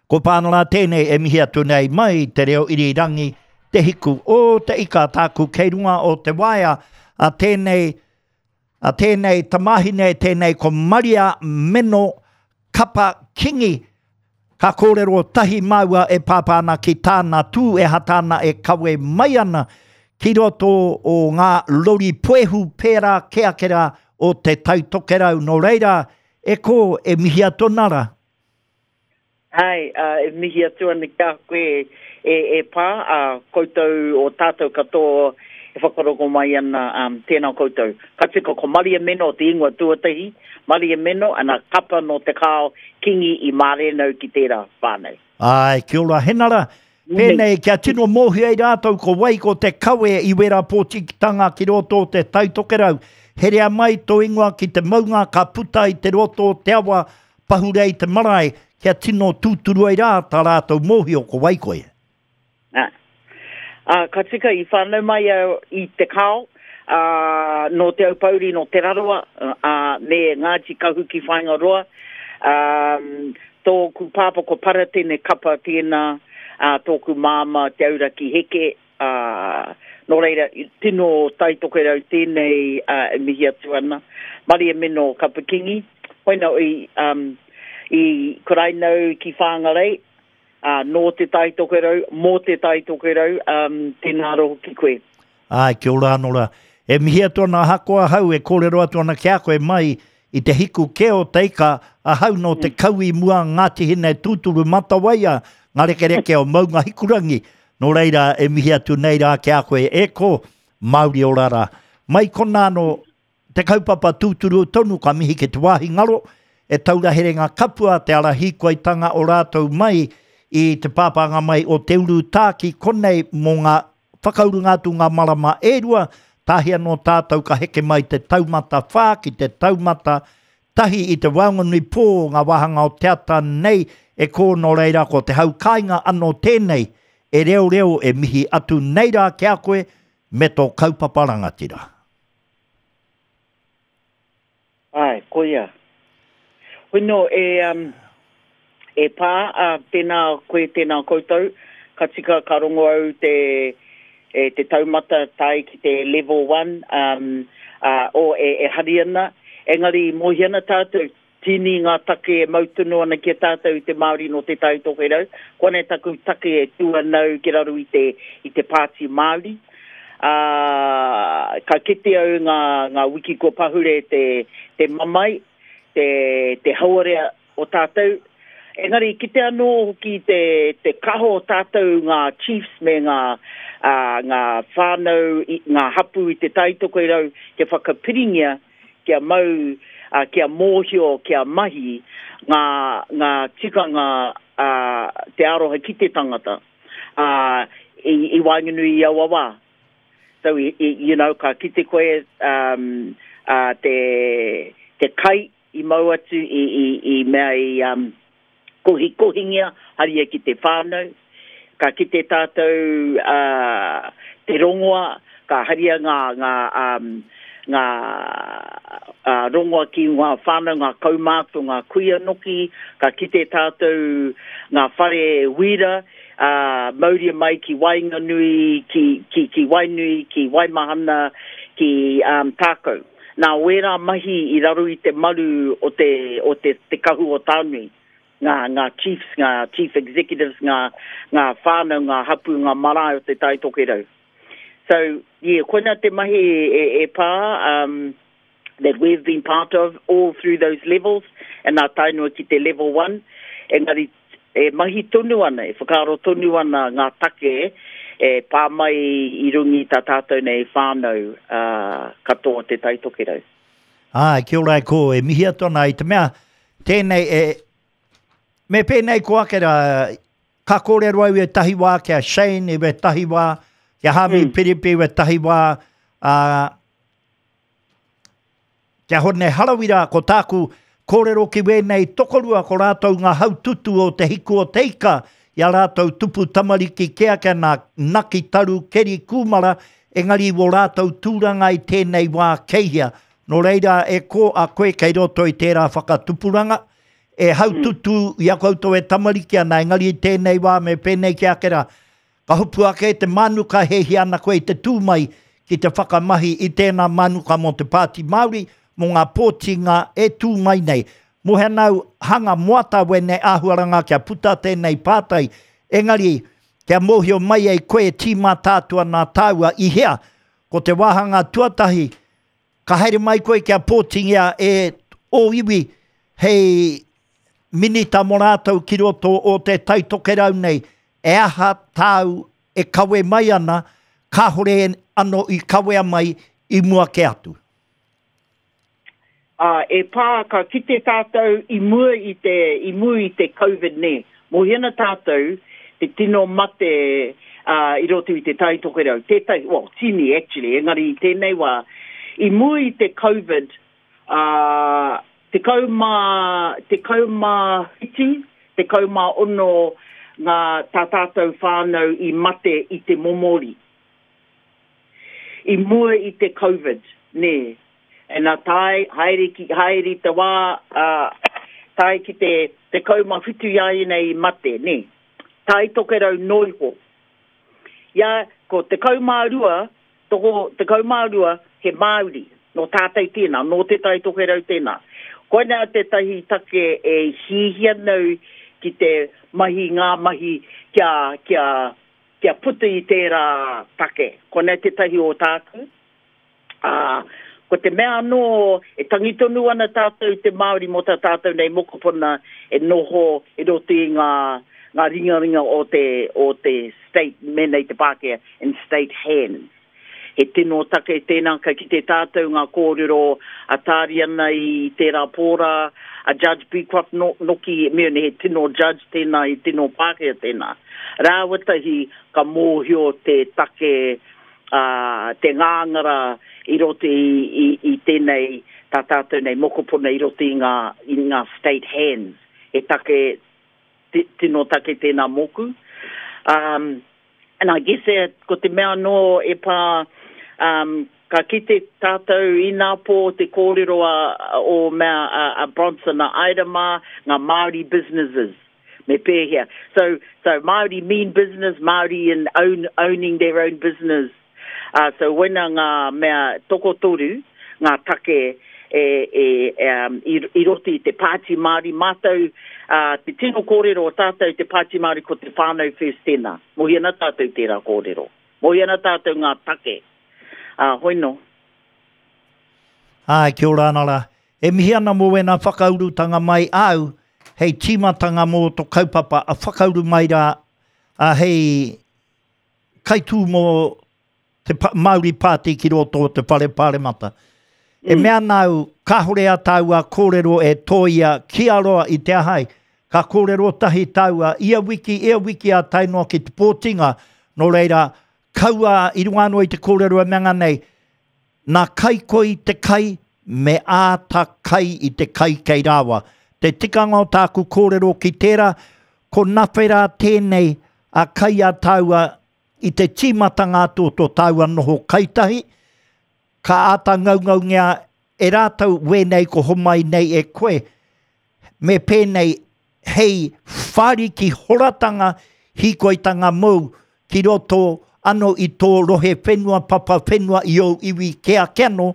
Ko Pānara tēnei e mihi atu nei mai te reo irirangi, te hiku o te ika tāku kei runga o te waea a tēnei, a tēnei tamāhine, tēnei ko Maria Meno Kapa Kingi. Ka kōrero tahi māua e pāpā ana ki tāna tū e hata ana e kawe mai ana ki roto o ngā rori puehu pērā kē ake rā o Te Tai Tokerau. Nō reira, e kō, e mihi atu ana rā. Āe, e mihi atu ana ki a koe e, e Pā, ā, koutou o tātou katoa e whakarongo mai ana, tēnā koutou. Ka tika ko Maria Meno te ingoa tuatahi, Maria Meno, ana kapa nō Te Kao, Kingi i mārenau ki tērā whānau. Āe, kia ora Henara. Pēnei kia tino mōhio ai rātou ko wai ko te kawe i wērā pōtitanga ki roto o Te Tai Tokerau. Herea mai tō ingoa ki te maunga ka puta i te roto o te awa pahure i te marae kia tino tūturu ai rā tā rātou mōhio ko wai koe. Ā, ā, ka tika i whānau mai au i Te Kao, ā, nō Te Aupōuri, nō Te Rarawa, ā, me Ngāti Kahu ki Whāingaroa. Ā, tōku pāpā ko Paratene Kapa tēnā, ā, tōku māmā Te Auraki Heke, ā, nō reira, tino Tai Tokerau tēnei, ā, e mihi atu ana. Maria Meno Kapa Kingi, hoina i, ā, i kuraina au ki Whāngarei, Ā, nō Te Tai Tokerau, mō Te Tai Tokerau, ā, tēnā rō hoki koe. Āe, kia ora anō rā. E mihi atu ana ahakoa ahau e kōrero atu ana ki a koe mai i te hiku kē o te ika, ahau nō te kau i mua Ngāti Hine tūturu Matawaia, ngā rekereke o Maunga Hikurangi. Nō reira, e mihi atu nei rā ki a koe e kō, Māori ora rā. Mai konā anō, Te kaupapa tūturu tonu ka mihi ki te wāhi ngaro, e taura herenga kapua te ara hīkoitanga o rātou mai i te pāpānga mai o Te Urutā ki konei mō ngā whakaurunga atu ngā marama e rua, tāhi anō tātou ka heke mai te taumata whā ki te taumata tahi i te waenganui pō o ngā wāhanga o te ata nei e kō nō reira ko te hau kāinga anō tēnei e reoreo e mihi atu nei rā ki a koe me tō kaupapa rangatira. Āe, koia. Hoi nō, e, um, e pā, ā, tēnā koe, tēnā koutou, ka tika ka rongo au te, e, te taumata tae ki te level one, um, ā, o, e, e hari ana, engari mōhio ana tātou, Tini ngā take e mau tonu ana ki a tātou i te Māori nō Te Tai Tokerau. Koinei taku take e tū ana au ki raro i te, i te Pāti Māori. Ā, ka kite au ngā, ngā wiki kua pahure te, te mamae, te, te hauarea o tātou. Engari kite anō hoki te, te kaha o tātou ngā chiefs me ngā, ā, ngā whānau, i, ngā hapū i Te Tai Tokerau kia whakapiringia kia mau, ā, kia mōhio, kia mahi ngā, ngā tikanga, ā, te aroha ki te tangata, ā, i, i waenganui i aua wā. So, i, i, you know, ka kite koe, um, ā, te, te kai i mau atu i, i, i mea i, um, kohikohingia, haria ki te whānau. Ka kite tātou te rongoa, ka haria ngā, ngā, ngā rongoa ki ngā whānau, ngā kaumātua, ngā kuia noki. Ka kite tātou ngā whare wīra, mauria mai ki waenganui, ki, ki, ki Wainui, ki Waimahana, ki Tākou. Nā wērā mahi i raro i te maru o te, o te, te kahu o Taonui, ngā, ngā chiefs, ngā chief executives, ngā, ngā whānau, ngā hapū, ngā marae o Te Tai Tokerau. So, yeah, koina te mahi e, e pā, um, that we've been part of all through those levels, and nā tae noa ki te level one, engari E mahi tonu ana, e whakaaro tonu ana ngā take e pā mai i runga i tā tātou nei whānau katoa o Te Tai Tokerau. Āe, kia ora e kō, e mihi atu ana i te mea, tēnei e, me pēnei ko ake rā, ka kōrero au i ētahi wā ki a Shane, i wētahi wā, ki a Hāmi mm. Piripi, i wētahi wā, ā, Kia Hone Harawira, ko tāku kōrero ki wēnei tokorua ko rātou ngā haututu o te hiku o te ika i a rātou tupu tamariki kē ake ana naki taru keri kūmara engari wō rātou tūranga i tēnei wā kei hea. Nō reira e kō a koe kei roto i tērā whakatupuranga. E haututū i a koutou e tamariki ana, engari i tēnei wā me pēnei ki ake rā, ka hopu ake te mānuka he hia ana koe i te tū mai ki te whakamahi i tēnā mānuka mō te Pāti Māori, mō ngā pōtinga e tū mai nei. Mohe ana au, hanga moata wēnei āhuaranga kia puta tēnei pātai, engari kia mōhio mai ai koe e tīmata atu ana tāua i hea. Ko te wāhanga tuatahi, Ka haere mai koe kia pōtingia e ō iwi hei minita mō rātou ki roto o te Tai Tokerau nei, e aha tāu e kawe mai ana, kāhore ano i kawea mai i mua kē atu? Ā, e pā, ka kite tātou i mua i te, i mua i te Covid nē. Mōhio ana tātou te tino mate ā, i roto i te Tai Tokerau, tētahi, well, tini actually, engari i tēnei wā, i mua i te Covid, ā, 17, 16 ngā, tā tātou whānau i mate i te momori. I mua i te Covid, nē. And nā tae, haere ki, haere i te wā, ā, tae ki te 17 i a ianei i mate, nē. Tai Tokerau noiho. Ia, ko 12, toko, 12, he Māori, nō tātou tēnā, nō Te Tai Tokerau tēnā. Koinā tētahi take e hihia nau ki te mahi ngā mahi kia, kia, kia puta i tērā take. Koinā tētahi o tāku. Ā, ko te mea anō, e tangi tonu ana tātou te Māori mō tā tātou nei mokopuna e noho i roto i ngā, ngā ringaringa o te, o te state, mēnā i te Pākehā, in state hands. He tino take tēnā, ka kite tātou ngā kōrero a Tāriana i tērā pō rā, a Judge Beecroft no, noki, me he tino judge tēnā, he tino Pākehā tēnā. Rāua tahi ka mōhio te take ā, te ngāngara i roto i, i, i tēnei, tā tātou nei mokopuna i roto i ngā, i ngā state hands. He take, tino take tēnā mōku. Um, and I guess e, ko te mea anō e pā, um, ka kite tātou inapō te kōrero a, o mea a, a Bronson a Ida mā, ngā Māori businesses. Me pēhea. So, so Māori mean business, Māori in own, owning their own business. Uh, so wena ngā mea tokotoru, ngā take e, e, um, i, i roto i te Pāti Māori. Mātou, uh, te tino kōrero o tātou te Pāti Māori ko te whānau first tēnā. Mohi ana tātou tērā kōrero. Mohi ana tātou ngā take. Uh, hoi no. Āe, kia ora ana rā. E mihi ana mō wēnā whakaurutanga mai āu hei tīmatanga mō to kaupapa a whakauru mai rā a hei kaitū mō te Māori Party ki roto o te Whare Pāremata. E mea ana au, kāhore a tāua kōrero e tōia kia roa i te ahai, ka kōrero tahi tāua ia wiki, ia wiki a tae noa ki te pōtinga, nō reira, kaua i runga anō i te kōrero e mea nei, Nā Kaikoi te kai, me āta kai i te kai kei rāua. Te tikanga o tāku kōrero ki tērā, ko Nawhera tēnei a kai a tāua i te tīmatanga atu o tō tāua noho kaitahi, ka āta ngaungaungia e rātou wēnei ko homai nei e koe, me pēnei hei whāriki horatanga hīkoitanga mōu ki roto ano i tō rohe whenua, papa whenua i ōu iwi kē ake anō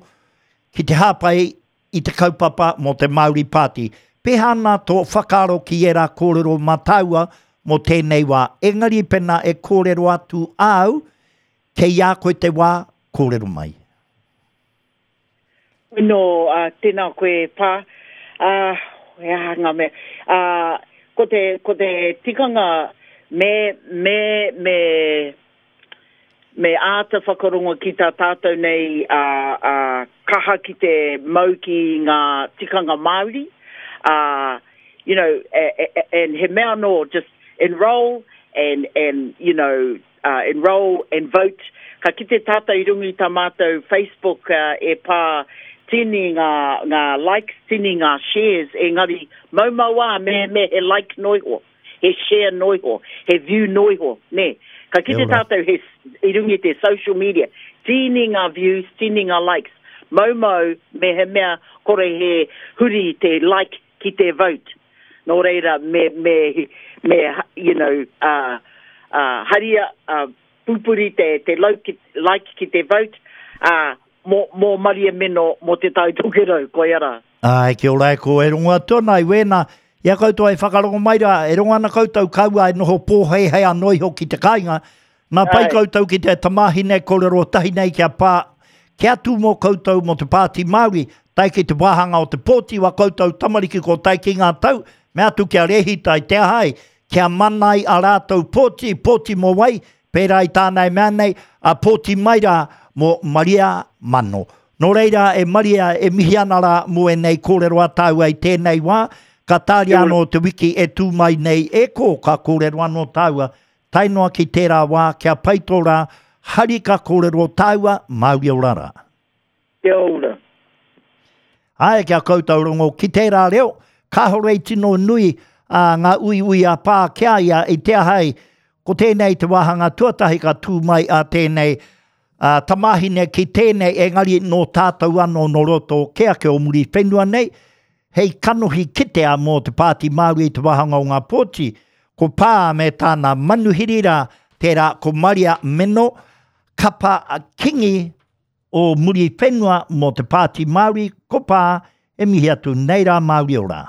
ki te hāpai i te kaupapa mō te Māori Party. Pēhea ana tō whakaaro ki ērā kōrero mā tāua mō tēnei wā? Engari pēnā e kōrero atu āu, kei a koe te wā, kōrero mai. No, uh, tēnā koe, Pā. Uh, he aha ngā mea. Uh, ko te, ko te tikanga me, me, me, me āta whakarongo ki tā tātou nei uh, uh, kaha ki te mau ki ngā tikanga Māori. Uh, you know, and he mea anō, just enroll and, and you know, uh, enroll and vote. Ka kite tātou i runga i tā mātou Facebook uh, e pā tini ngā, ngā likes, tini ngā shares, engari maumau ā me, me he like noiho, he share noiho, he view noiho, nē. Ka kite tātou he, i runga i te social media, tini ngā views, tini ngā likes, maumau me he mea kore he huri te like ki te vote. Nō reira, me, me, me, you know, uh, uh, haria, uh, pupuri te, te like, ki, like ki te vote, uh, mō, mō Maria Meno, mō Te Tai Tokerau, koia rā. Āe, kia ora e ko, e rongo atu ana i wēnā, i a koutou e whakarongo mai rā, e rongo ana koutou kaua e noho pōhēhē anō iho ki te kāinga, nā pai koutou ki te tamāhine kōrero tahi nei kia pā, kia tū mō koutou mō te Pāti Māori, tae ki te wāhanga o te pōti wa koutou tamariki ko tae ki ngā tau, mea atu kia rēhita i te aha ai, kia mana ai a rātou pōti, pōti mō wai, pērā i tāna e mea nei, a pōti mai rā mō Maria Mano. Nō reira, e Maria, e mihi ana rā mō ēnei kōrero a tāua i tēnei wā, ka tāria anō te wiki e tū mai nei e kō, ka kōrero anō tāua, tae noa ki tērā wā, kia pai tō rā, hari ka kōrero tāua, Māori ora rā. Kia ora. Āe, kia koutou rongo ki tērā reo, kāore i tino nui ā, ngā uiui a pā ki a ia i te aha ai, ko tēnei te wāhanga tuatahi ka tū mai a tēnei ā, tamāhine ki tēnei, engari nō tātou anō nō roto kē ake o Muriwhenua nei, hei kanohi kitea mō te Pāti Māori i te wāhanga o ngā pōti, ko Pā me tāna manuhiri rā, tērā ko Maria Meno, Kapa Kingi o Muriwhenua mō te Pāti Māori, ko Pā, e mihi atu nei rā Māori ora.